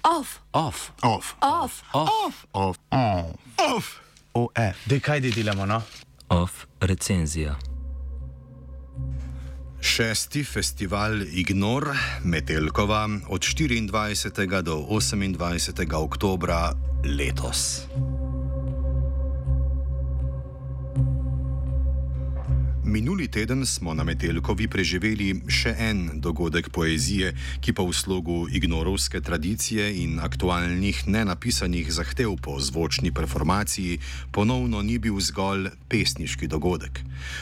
Off. Off. Off. Off. Off. Off. Off. OF. Dej, kaj delamo, no? Off recenzija. 6. festival Ignor Metelkova od 24. do 28. oktobra letos. Minuli teden smo na Metelkovi preživeli še en dogodek poezije, ki pa v slogu ignorovske tradicije in aktualnih nenapisanih zahtev po zvočni performaciji ponovno ni bil zgolj pesniški dogodek.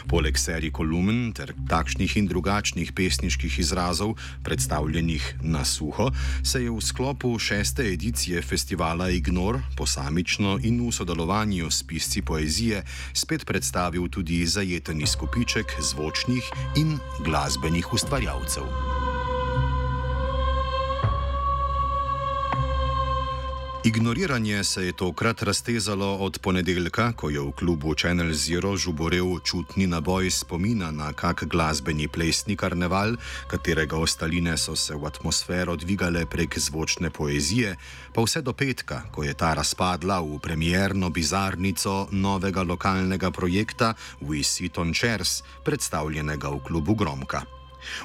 Poleg serij kolumn ter takšnih in drugačnih pesniških izrazov, predstavljenih na suho, se je v sklopu 6. edicije festivala Ignor posamično in v sodelovanju s pisci poezije spet predstavil tudi zajeteni skupiček zvočnih in glasbenih ustvarjalcev. Ignoriranje se je tokrat raztezalo od ponedeljka, ko je v klubu Channel Zero žuborel čutni naboj spomina na kak glasbeni plesni karneval, katerega ostaline so se v atmosfero dvigale prek zvočne poezije, pa vse do petka, ko je ta razpadla v premierno bizarnico novega lokalnega projekta We Sit on Chairs, predstavljenega v klubu Gromka.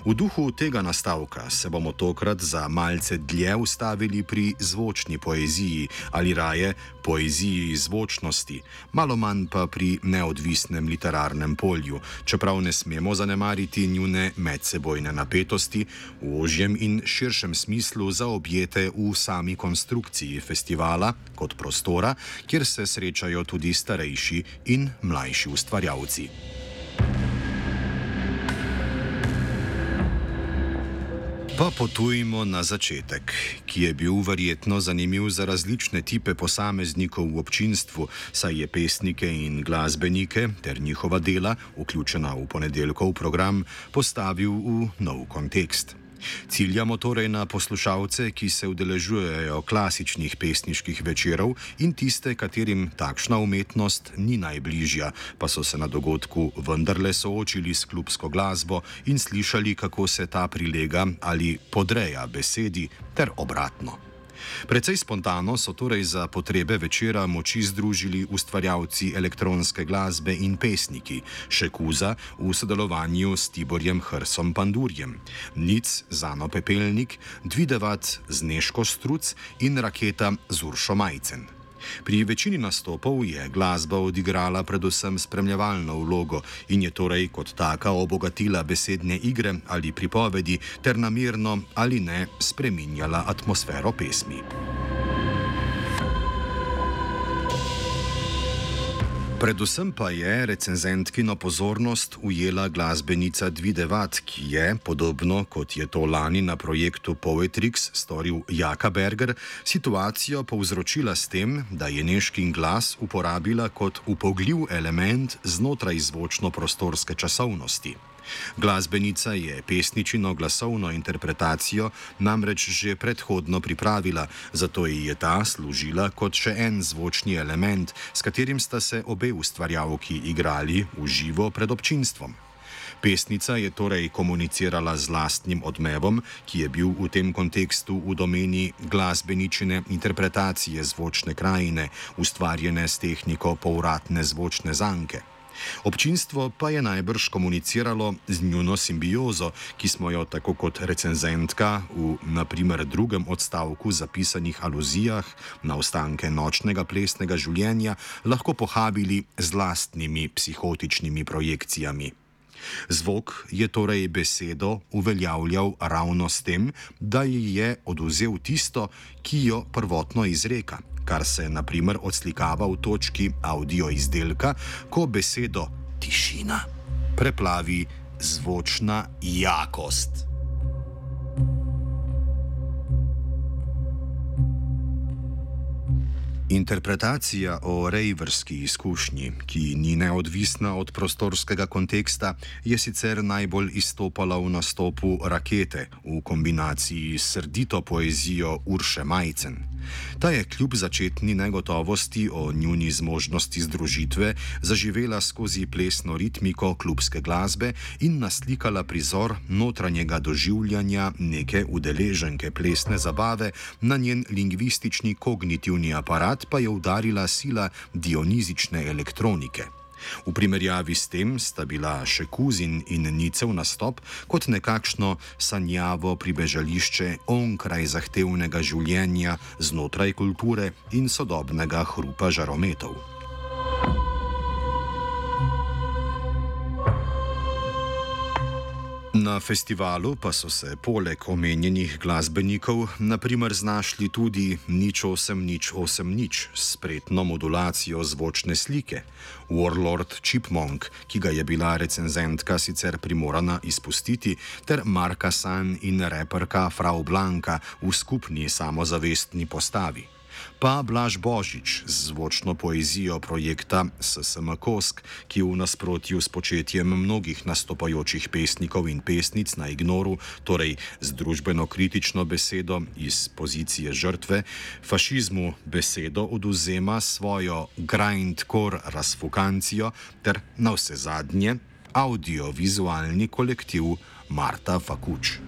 V duhu tega nastavka se bomo tokrat za malce dlje ustavili pri zvočni poeziji ali raje poeziji zvočnosti, malo manj pa pri neodvisnem literarnem polju, čeprav ne smemo zanemariti njune medsebojne napetosti v ožjem in širšem smislu zaobjete v sami konstrukciji festivala kot prostora, kjer se srečajo tudi starejši in mlajši ustvarjalci. Pa potujmo na začetek, ki je bil verjetno zanimiv za različne tipe posameznikov v občinstvu, saj je pesnike in glasbenike ter njihova dela, vključena v ponedeljkov program, postavil v nov kontekst. Ciljamo torej na poslušalce, ki se udeležujejo klasičnih pesniških večerov in tiste, katerim takšna umetnost ni najbližja, pa so se na dogodku vendarle soočili s klubsko glasbo in slišali, kako se ta prilega ali podreja besedi ter obratno. Precej spontano so torej za potrebe večera moči združili ustvarjalci elektronske glasbe in pesniki, Šekuza v sodelovanju s Tiborjem Hrsom Pandurjem, Nic Zano Pepelnik, Dvidevat z Nežko Struc in Raketa z Uršo Majcen. Pri večini nastopov je glasba odigrala predvsem spremljevalno vlogo in je torej kot taka obogatila besedne igre ali pripovedi ter namerno ali ne spreminjala atmosfero pesmi. Predvsem pa je recenzentkino pozornost ujela glasbenica Dvidevat, ki je, podobno kot je to lani na projektu Poetrix storil Jaka Berger, situacijo povzročila s tem, da je Nežkin glas uporabila kot upogljiv element znotraj zvočno-prostorske časovnosti. Glasbenica je pesničino glasovno interpretacijo namreč že predhodno pripravila, zato ji je ta služila kot še en zvočni element, s katerim sta se obe ustvarjalki igrali v živo pred občinstvom. Pesnica je torej komunicirala z lastnim odmevom, ki je bil v tem kontekstu v domeni glasbeničine interpretacije zvočne krajine, ustvarjene s tehniko povratne zvočne zanke. Občinstvo pa je najbrž komuniciralo z njuno simbiozo, ki smo jo tako kot recenzentka v naprimer drugem odstavku zapisanih aluzijah na ostanke nočnega plesnega življenja lahko pohabili z lastnimi psihotičnimi projekcijami. Zvok je torej besedo uveljavljal ravno s tem, da ji je odvzel tisto, ki jo prvotno izreka, kar se naprimer odslikava v točki audio izdelka, ko besedo tišina preplavi zvočna jakost. Interpretacija o rejverski izkušnji, ki ni neodvisna od prostorskega konteksta, je sicer najbolj izstopala v nastopu Rakete v kombinaciji s srdito poezijo Urše Majcen. Ta je kljub začetni negotovosti o njuni zmožnosti združitve zaživela skozi plesno ritmiko klubske glasbe in naslikala prizor notranjega doživljanja neke udeleženke plesne zabave, na njen lingvistični kognitivni aparat pa je udarila sila dionizične elektronike. V primerjavi s tem sta bila še Kuzin in Nicev nastop kot nekakšno sanjavo pribežališče onkraj zahtevnega življenja znotraj kulture in sodobnega hrupa žarometov. Na festivalu pa so se poleg omenjenih glasbenikov naprimer znašli tudi Nič 8 s spretno modulacijo zvočne slike, Warlord Chipmunk, ki ga je bila recenzentka sicer primorana izpustiti, ter Marka San in reperka Frau Blanka v skupni samozavestni postavi. Pa Blaž Božič z zvočno poezijo projekta SSM Kosk, ki v nasprotju s početjem mnogih nastopajočih pesnikov in pesnic na Ignoru, torej z družbeno-kritično besedo iz pozicije žrtve, fašizmu besedo odvzema svojo grindcore razfukancijo ter navsezadnje audiovizualni kolektiv Marta Fakuč.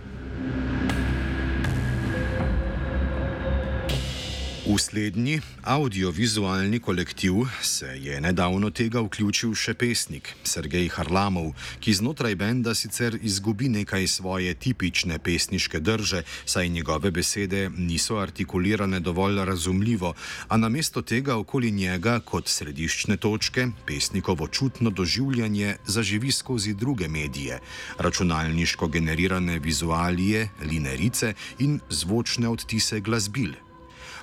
V slednji audiovizualni kolektiv se je nedavno tega vključil še pesnik Sergej Harlamov, ki znotraj benda sicer izgubi nekaj svoje tipične pesniške drže, saj njegove besede niso artikulirane dovolj razumljivo, a namesto tega okoli njega kot središčne točke pesnikovo čutno doživljanje zaživi skozi druge medije, računalniško generirane vizualije, linerice in zvočne odtise glasbil.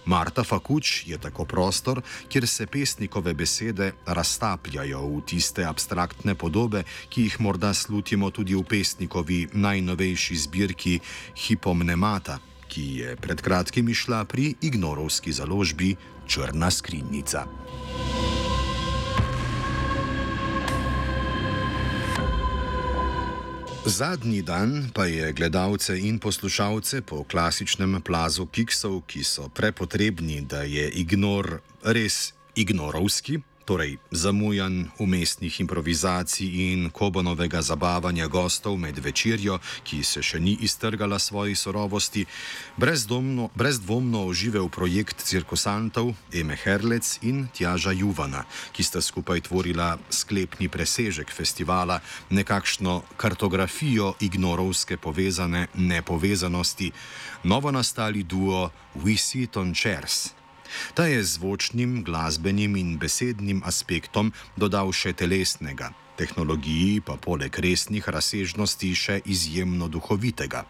Marta Fakuč je tako prostor, kjer se pesnikove besede raztapljajo v tiste abstraktne podobe, ki jih morda slutimo tudi v pesnikovi najnovejši zbirki Hipomnemata, ki je pred kratkim izšla pri ignorovski založbi Črna skrinjica. Zadnji dan pa je gledalce in poslušalce po klasičnem plazu kiksov, ki so prepotrebni, da je Ignor res ignorovski, torej zamujan umestnih improvizacij in Kobanovega zabavanja gostov med večerjo, ki se še ni iztrgala svoji sorovosti, brezdvomno oživel projekt cirkusantov Eme Herlec in Tjaža Juvana, ki sta skupaj tvorila sklepni presežek festivala, nekakšno kartografijo ignorovske povezane nepovezanosti, novo nastali duo We Sit on Chairs. Ta je zvočnim, glasbenim in besednim aspektom dodal še telesnega, tehnologiji pa poleg resnih razsežnosti še izjemno duhovitega.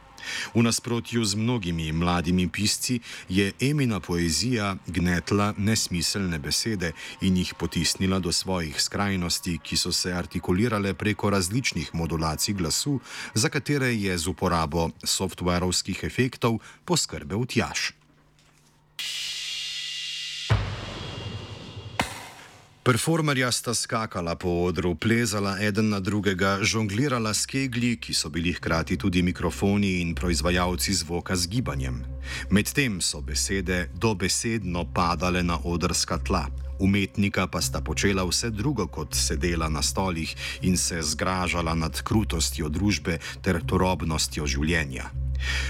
V nasprotju z mnogimi mladimi pisci je Emina poezija gnetla nesmiselne besede in jih potisnila do svojih skrajnosti, ki so se artikulirale preko različnih modulacij glasu, za katere je z uporabo softwarovskih efektov poskrbel Tjaž. Performerja sta skakala po odru, plezala eden na drugega, žonglirala s keglji, ki so bili hkrati tudi mikrofoni in proizvajalci zvoka z gibanjem. Medtem so besede dobesedno padale na odrska tla, umetnika pa sta počela vse drugo kot sedela na stolih in se zgražala nad krutostjo družbe ter turobnostjo življenja.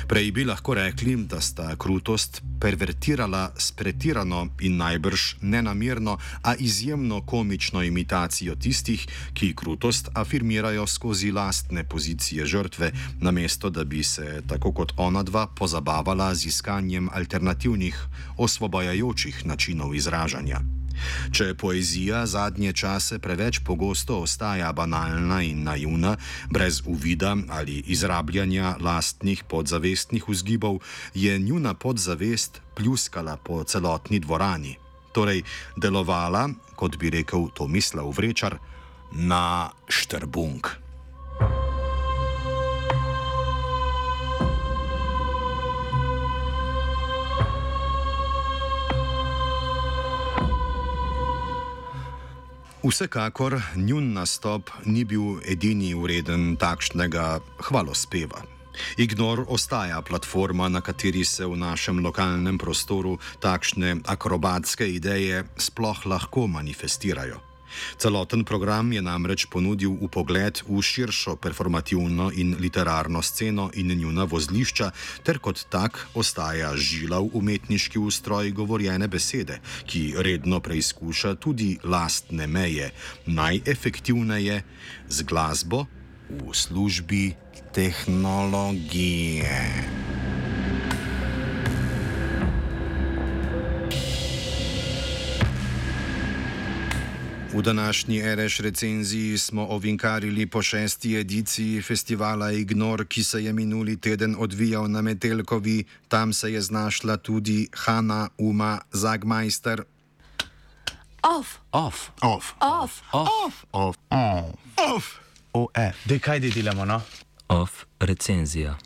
Prej bi lahko rekli, da sta krutost pervertirala s pretirano in najbrž nenamerno, a izjemno komično imitacijo tistih, ki krutost afirmirajo skozi lastne pozicije žrtve, namesto da bi se, tako kot onadva, pozabavala z iskanjem alternativnih, osvobajajočih načinov izražanja. Če poezija zadnje čase preveč pogosto ostaja banalna in naivna, brez uvida ali izrabljanja lastnih podzavestnih vzgibov, je njuna podzavest pljuskala po celotni dvorani. Torej, delovala, kot bi rekel Tomislav Vrečar, na štrbunk. Vsekakor njun nastop ni bil edini vreden takšnega hvalospeva. Ignor ostaja platforma, na kateri se v našem lokalnem prostoru takšne akrobatske ideje sploh lahko manifestirajo. Celoten program je namreč ponudil vpogled v širšo performativno in literarno sceno in njuna vozlišča, ter kot tak ostaja žilav umetniški ustroj govorjene besede, ki redno preizkuša tudi lastne meje, najefektivneje z glasbo v službi tehnologije. V današnji RŠ recenziji smo ovinkarili po 6. ediciji festivala Ignor, ki se je minuli teden odvijal na Metelkovi. Tam se je znašla tudi Hanna Uma Zagmeister. OF. Dej, kaj delamo, no? Off recenzija.